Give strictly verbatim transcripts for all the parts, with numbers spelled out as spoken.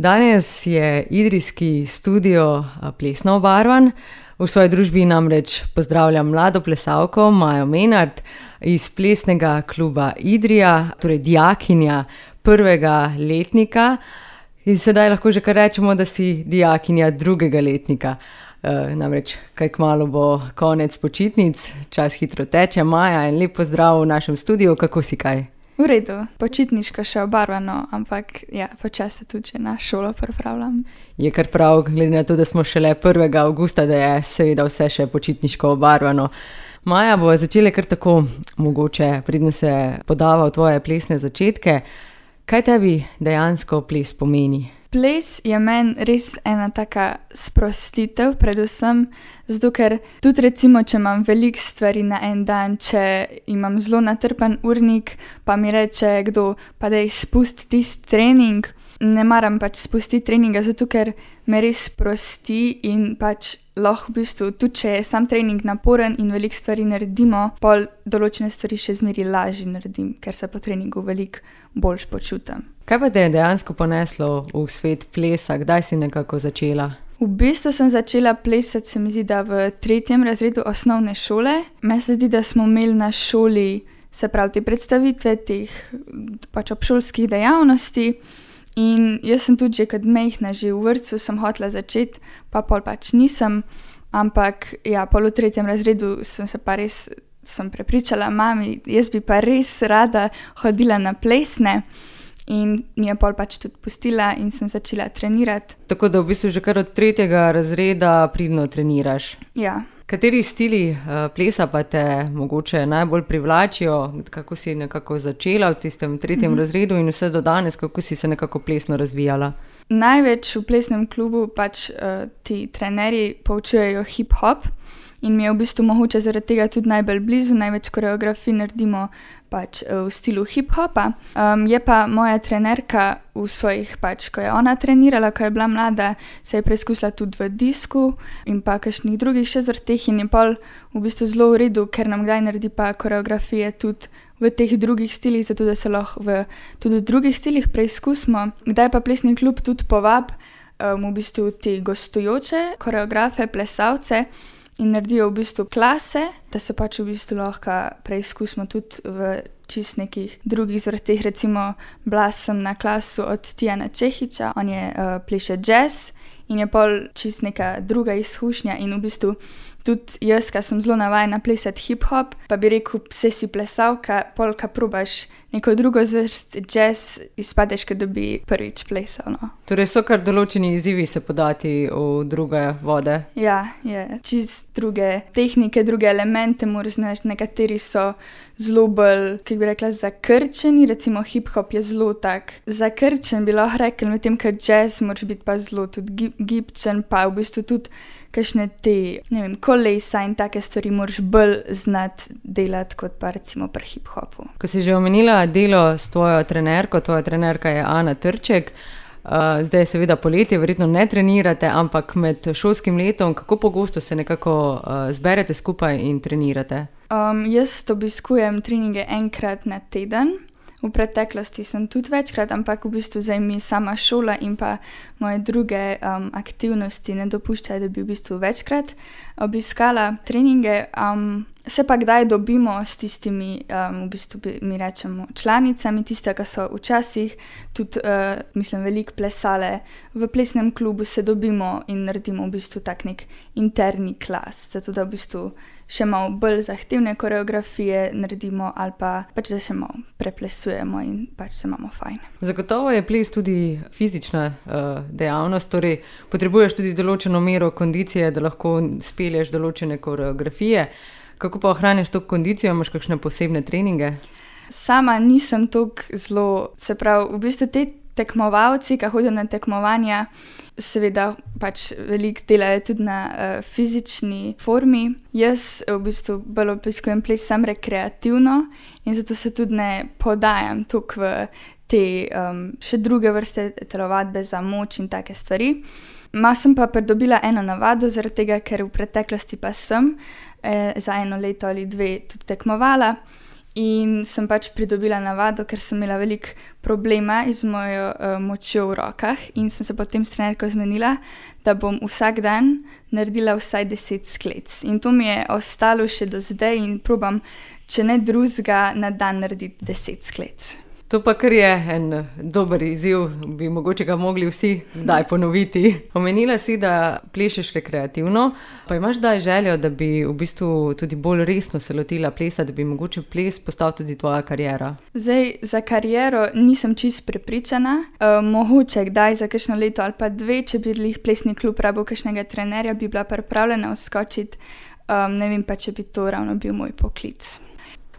Danes je idrijski studio plesno obarvan. V svoji družbi namreč pozdravljam mlado plesalko Majo Menart iz plesnega kluba Idrija, torej dijakinja prvega letnika. In sedaj lahko že kar rečemo, da si dijakinja drugega letnika. E, namreč kaj kmalu bo konec počitnic, čas hitro teče. Maja, en lep pozdrav v našem studiu, kako si kaj? V redu, počitniško še obarvano, ampak ja, počasi tudi na šolo pripravljam. Je kar prav, glede na to, da smo šele prvega avgusta, da je seveda vse še počitniško obarvano. Maja, bo začela kar tako, mogoče, preden se podava v tvoje plesne začetke. Kaj tebi dejansko ples pomeni? Ples je meni res ena taka sprostitev, predvsem zato, ker tudi recimo, če imam veliko stvari na en dan, če imam zelo natrpan urnik, pa mi reče kdo, pa daj spusti tisti trening, ne maram pač spustiti treninga, zato ker me res sprosti in pač lahko v bistvu, tudi če je sam trening naporen in veliko stvari naredimo, pol določene stvari še zmeri lažje naredim, ker se po treningu veliko boljš počutim. Kaj pa te je dejansko poneslo v svet plesa? Kdaj si nekako začela? V bistvu sem začela plesati, se mi zdi, da v tretjem razredu osnovne šole. Meni se zdi, da smo imeli na šoli, se pravi, te predstavitve teh pač obšolskih dejavnosti. In jaz sem tudi že kot majhna, že v vrtcu sem hotela začeti, pa pol pač nisem. Ampak ja, pol v tretjem razredu sem se pa res, sem prepričala mami, jaz bi pa res rada hodila na plesne. In mi je pol pač tudi pustila in sem začela trenirati. Tako da v bistvu že kar od tretjega razreda pridno treniraš. Ja. Kateri stili uh, plesa pa te mogoče najbolj privlačijo? Kako si nekako začela v tistem tretjem mm-hmm. razredu in vse do danes, kako si se nekako plesno razvijala? Največ v plesnem klubu pač uh, ti trenerji poučujejo hip-hop in mi je v bistvu mogoče zaradi tega tudi najbolj blizu, največ koreografij naredimo pač v stilu hip-hopa. Um, je pa moja trenerka v svojih pač, ko je ona trenirala, ko je bila mlada, se je preizkusila tudi v disku in pa kakšnih drugih še zvrteh in je pol v bistvu zelo v redu, ker nam kdaj naredi pa koreografije tudi v teh drugih stilih, zato da se lahko v tudi v drugih stilih preizkusimo. Kdaj pa plesni klub tudi povab um, v bistvu te gostujoče koreografe, plesalce, in naredijo v bistvu klase, da se pač v bistvu lahko preizkusimo tudi v čist nekih drugih zvrteh. Recimo, bila sem na klasu od Tijana Čehiča, on je uh, pleše jazz in je pol čist neka druga izkušnja in v bistvu tudi jaz, ki sem zelo navajena plesati hip-hop, pa bi rekel, vse si plesalka, pol, ka probaš neko drugo zvrst jazz, izpadeš, da bi prvič plesal. No. Torej so kar določeni izzivi se podati v druge vode? Ja, je čist druge tehnike, druge elemente moraš znati, nekateri so zelo bolj, kako bi rekla, zakrčeni, recimo hip-hop je zelo tak zakrčen, bi lahko rekel, medtem, ker jazz moraš biti pa zelo tudi gibčen, pa v bistvu tudi kakšne te, ne vem, kolesa in take stvari moraš bolj znati delati kot pa recimo pri hip-hopu. Ko si že omenila delo s tvojo trenerko, tvoja trenerka je Ana Trček, uh, zdaj je seveda poletje, verjetno ne trenirate, ampak med šolskim letom, kako pogosto se nekako uh, zberete skupaj in trenirate? Um, jaz obiskujem treninge enkrat na teden. V preteklosti sem tudi večkrat, ampak v bistvu zdaj mi sama šola in pa moje druge um, aktivnosti ne dopuščajo, da bi v bistvu večkrat obiskala treninge. Um, se pa kdaj dobimo s tistimi, um, v bistvu mi rečemo članicami, tiste, ki so včasih tudi, uh, mislim, veliko plesale v plesnem klubu, se dobimo in naredimo v bistvu tak nek interni klas, zato da v bistvu še malo bolj zahtevne koreografije naredimo ali pa pač, da še malo preplesujemo in pač se imamo fajn. Zagotovo je ples tudi fizična uh, dejavnost, torej potrebuješ tudi določeno mero kondicije, da lahko spelješ določene koreografije. Kako pa ohraniš to kondicijo? Imaš kakšne posebne treninge? Sama nisem toliko zelo, se pravi, v bistvu te tekmovalci, ki hodijo na tekmovanja, seveda pač veliko delajo tudi na uh, fizični formi. Jaz v bistvu bolj obiskujem ples sam rekreativno in zato se tudi ne podajam toliko v te um, še druge vrste telovadbe za moč in take stvari. Ma sem pa pridobila eno navado, zaradi tega, ker v preteklosti pa sem eh, za eno leto ali dve tudi tekmovala In sem pač pridobila navado, ker sem imela veliko problema z mojo uh, močjo v rokah in sem se potem s trenerko zmenila, da bom vsak dan naredila vsaj deset sklec. In to mi je ostalo še do zdaj in probam, če ne drugega, na dan narediti deset sklec. To pa kar je en dober izziv, bi mogoče ga mogli vsi kdaj ponoviti. Omenila si, da plešeš rekreativno, pa imaš kdaj željo, da bi v bistvu tudi bolj resno se lotila plesa, da bi mogoče ples postal tudi tvoja kariera? Zdaj, za kariero nisem čisto prepričana. Uh, mogoče kdaj za kakšno leto ali pa dve, če bi lih plesni klub rabil kakšnega trenerja, bi bila pripravljena vskočiti. Um, ne vem pa, če bi to ravno bil moj poklic.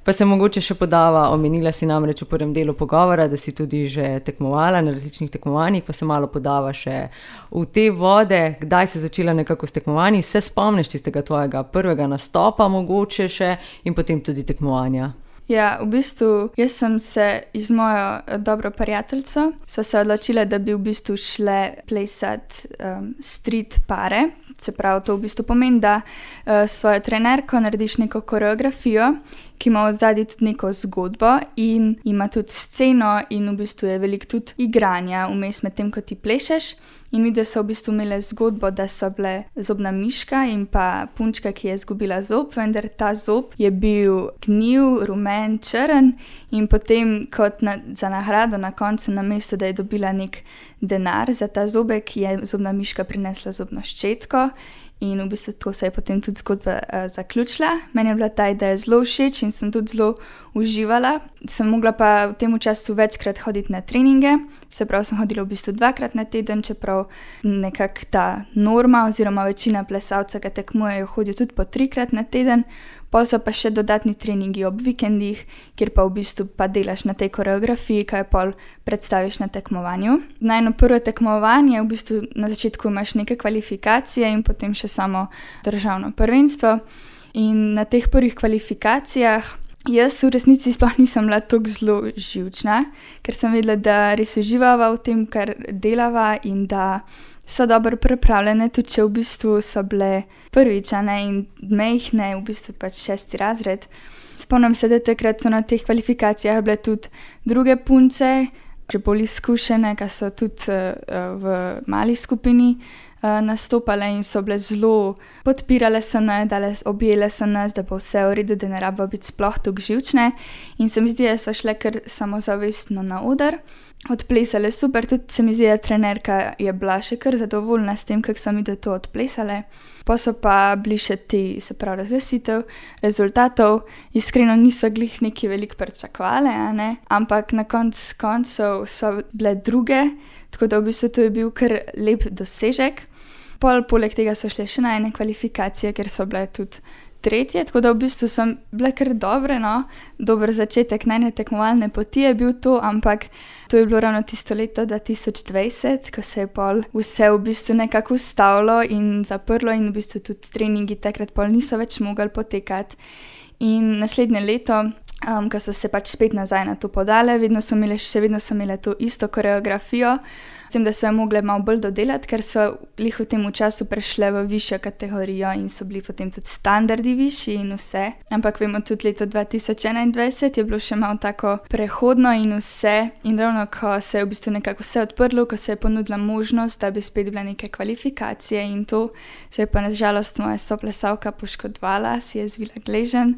Pa se mogoče še podava, omenila si namreč v prvem delu pogovora, da si tudi že tekmovala na različnih tekmovanjih, pa se malo podava še v te vode. Kdaj si začela nekako s tekmovanji? Se spomniš tistega tvojega prvega nastopa mogoče še in potem tudi tekmovanja? Ja, v bistvu jaz sem se z mojo dobro prijateljico so se odločile, da bi v bistvu šle plesati um, street pare. Se pravi, to v bistvu pomeni, da uh, s svojo trenerko narediš neko koreografijo, ki ima v zadnji tudi neko zgodbo in ima tudi sceno in v bistvu je veliko tudi igranja vmes med tem, ko ti plešeš. In videli so v bistvu imele zgodbo, da so bile zobna miška in pa punčka, ki je izgubila zob, vendar ta zob je bil gnil, rumen, črn in potem kot na, za nagrado na koncu, namesto da je dobila nek denar za ta zobek, je zobna miška prinesla zobno ščetko. In v bistvu tako se je potem tudi zgodba uh, zaključila. Meni je bila ta ideja zelo všeč in sem tudi zelo uživala. Sem mogla pa v tem času večkrat hoditi na treninge, se pravi, sem hodila v bistvu dvakrat na teden, čeprav nekako ta norma oziroma večina plesalcev, ki tekmujejo, hodijo tudi po trikrat na teden. Pol so pa še dodatni treningi ob vikendih, kjer pa v bistvu pa delaš na tej koreografiji, kaj pol predstaviš na tekmovanju. Najno prvo tekmovanje, v bistvu na začetku imaš neke kvalifikacije in potem še samo državno prvenstvo. In na teh prvih kvalifikacijah jaz v resnici sploh nisem bila tako zelo živčna, ker sem vedela, da res uživava v tem, kar delava in da so dobro pripravljene, tudi če v bistvu so bile prvičane in mejhne, v bistvu pač šesti razred. Spomnim se, da takrat so na teh kvalifikacijah bile tudi druge punce, že bolj izkušene, ki so tudi uh, v mali skupini uh, nastopale in so bile zelo podpirale so nas, dale, objele so nas, da bo vse v redu, da ne rabo biti sploh tako živčne. In se mi zdi, da so šle kar samozavestno na oder. Odplesale super, tudi se mi zdi, da trenerka je bila še kar zadovoljna s tem, kako so mi da to odplesale. Pa so pa bili še ti, se pravi, razglasitev rezultatov. Iskreno niso glih neki veliko pričakovale, a ne? Ampak na konc koncev so bile druge, tako da v bistvu to je bil kar lep dosežek. Pol, poleg tega so šle še na ene kvalifikacije, ker so bile tudi tretje, tako da v bistvu so bile kar dobre, no. Dober začetek najne tekmovalne poti je bil to, ampak to je bilo ravno tisto leto dva tisoč dvajset, ko se je pol vse v bistvu nekako ustavilo in zaprlo in v bistvu tudi treningi takrat pol niso več mogli potekati. In naslednje leto, um, ko so se pač spet nazaj na to podale, vedno so imele, še vedno so imele to isto koreografijo, s tem, da so jo mogle malo bolj dodelati, ker so lih v tem času prešle v višjo kategorijo in so bili potem tudi standardi višji in vse. Ampak vemo, tudi leto dva tisoč enaindvajset je bilo še malo tako prehodno in vse. In ravno, ko se je v bistvu nekako vse odprlo, ko se je ponudila možnost, da bi spet bile neke kvalifikacije in to, se je pa na žalost moja soplesalka poškodovala, si je zvila gleženj.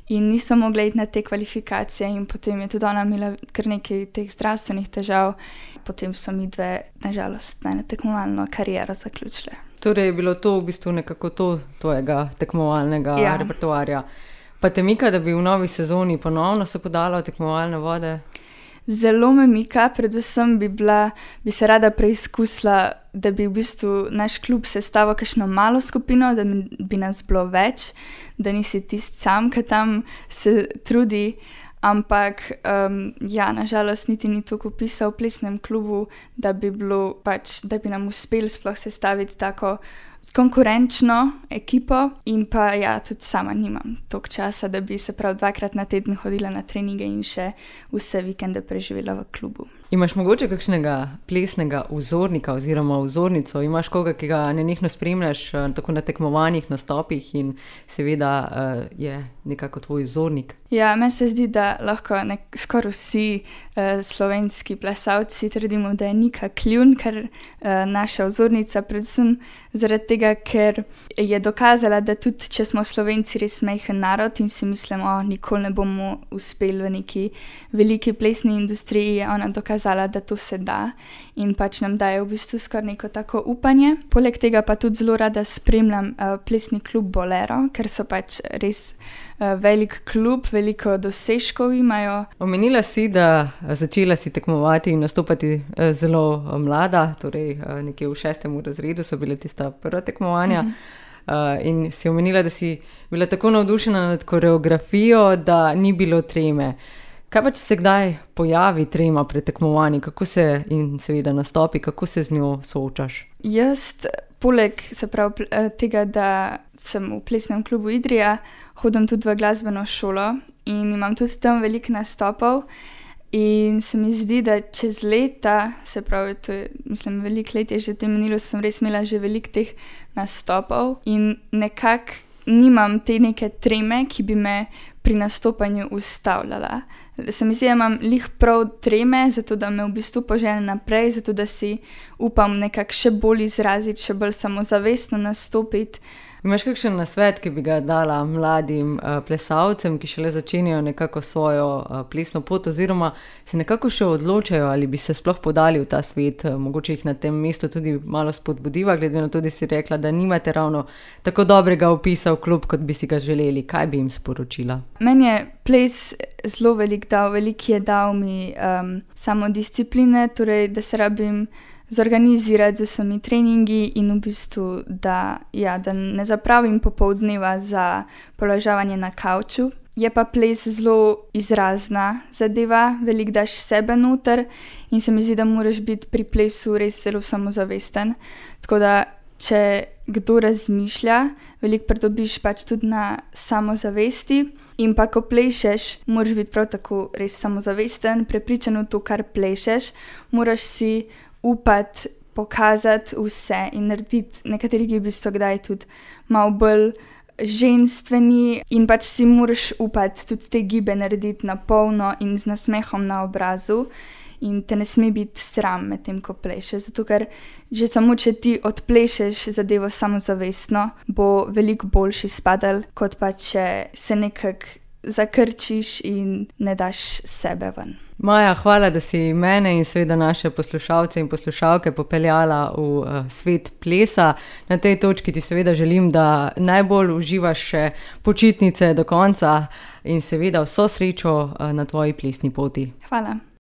In niso mogli iti na te kvalifikacije in potem je tudi ona imela kar nekaj teh zdravstvenih težav. Potem so mi dve, nažalost, najno tekmovalno kariero zaključile. Torej je bilo to v bistvu nekako to tvojega tekmovalnega ja. repertoarja. Pa te mika, da bi v novi sezoni ponovno se podala v tekmovalne vode? Zelo me mika, predvsem bi, bila, bi se rada preizkusila, da bi v bistvu naš klub sestavil kakšno malo skupino, da bi nas bilo več, da nisi tisti sam, ki tam se trudi, ampak um, ja, nažalost niti ni toliko pisal v plesnem klubu, da bi bilo pač, da bi nam uspelo sploh sestaviti tako konkurenčno ekipo in pa ja, tudi sama nimam toliko časa, da bi se prav dvakrat na teden hodila na treninge in še vse vikende preživela v klubu. Imaš mogoče kakšnega plesnega vzornika oziroma vzornico? Imaš koga, ki ga nenehno spremljaš tako na tekmovanjih, nastopih in seveda uh, je nekako tvoj vzornik? Ja, meni se zdi, da lahko nek, skoraj vsi uh, slovenski plesalci trdimo, da je Nika Kljun, ker uh, naša vzornica, predvsem zaradi tega, ker je dokazala, da tudi če smo Slovenci res majhen narod in si mislimo, o, nikoli ne bomo uspeli v neki veliki plesni industriji, je ona dokazala, da to se da in pač nam daje v bistvu skoraj neko tako upanje. Poleg tega pa tudi zelo rada spremljam uh, plesni klub Bolero, ker so pač res uh, velik klub, veliko dosežkov imajo. Omenila si, da začela si tekmovati in nastopati uh, zelo uh, mlada, torej uh, nekje v šestem razredu so bile tista prva tekmovanja. Mm-hmm. Uh, in si omenila, da si bila tako navdušena nad koreografijo, da ni bilo treme. Kaj pa, če se kdaj pojavi trema pred tekmovanji, kako se in seveda nastopi, kako se z njo soočaš? Jaz, poleg se pravi tega, da sem v plesnem klubu Idrija, hodim tudi v glasbeno šolo in imam tudi tam veliko nastopov in se mi zdi, da čez leta, se pravi, to je, mislim, veliko let je že v tem minilo, sem res imela že veliko teh nastopov in nekako nimam te neke treme, ki bi me pri nastopanju ustavljala. Se mi zdi, da imam lih prav treme, zato da me v bistvu požene naprej, zato da si upam nekako še bolj izraziti, še bolj samozavestno nastopiti. Imaš kakšen nasvet, ki bi ga dala mladim uh, plesalcem, ki šele začenjajo nekako svojo uh, plesno pot oziroma se nekako še odločajo, ali bi se sploh podali v ta svet, uh, mogoče jih na tem mestu tudi malo spodbudiva, glede na to, da si rekla, da nimate ravno tako dobrega opisa v klub, kot bi si ga želeli. Kaj bi jim sporočila? Meni je ples zelo velik dal, velik je dal mi um, samodiscipline, torej da se rabim zorganizirati z vsemi treningi in v bistvu, da, ja, da ne zapravim popoldneva za položavanje na kavču. Je pa ples zelo izrazna zadeva, veliko daš sebe noter in se mi zdi, da moraš biti pri plesu res zelo samozavesten. Tako da, če kdo razmišlja, veliko pridobiš pač tudi na samozavesti in pa ko plešeš, moraš biti prav tako res samozavesten, prepričan v to, kar plešeš, moraš si upati, pokazati vse in narediti nekateri, ki v bistvu kdaj tudi malo bolj ženstveni in pač si moraš upati tudi te gibe narediti na polno in z nasmehom na obrazu in te ne sme biti sram med tem, ko plešeš, zato ker že samo, če ti odplešeš zadevo samozavestno, bo veliko boljši spadal, kot pa če se nekako zakrčiš in ne daš sebe ven. Maja, hvala, da si mene in seveda naše poslušalce in poslušalke popeljala v uh, svet plesa. Na tej točki ti seveda želim, da najbolj uživaš še počitnice do konca in seveda vso srečo uh, na tvoji plesni poti. Hvala.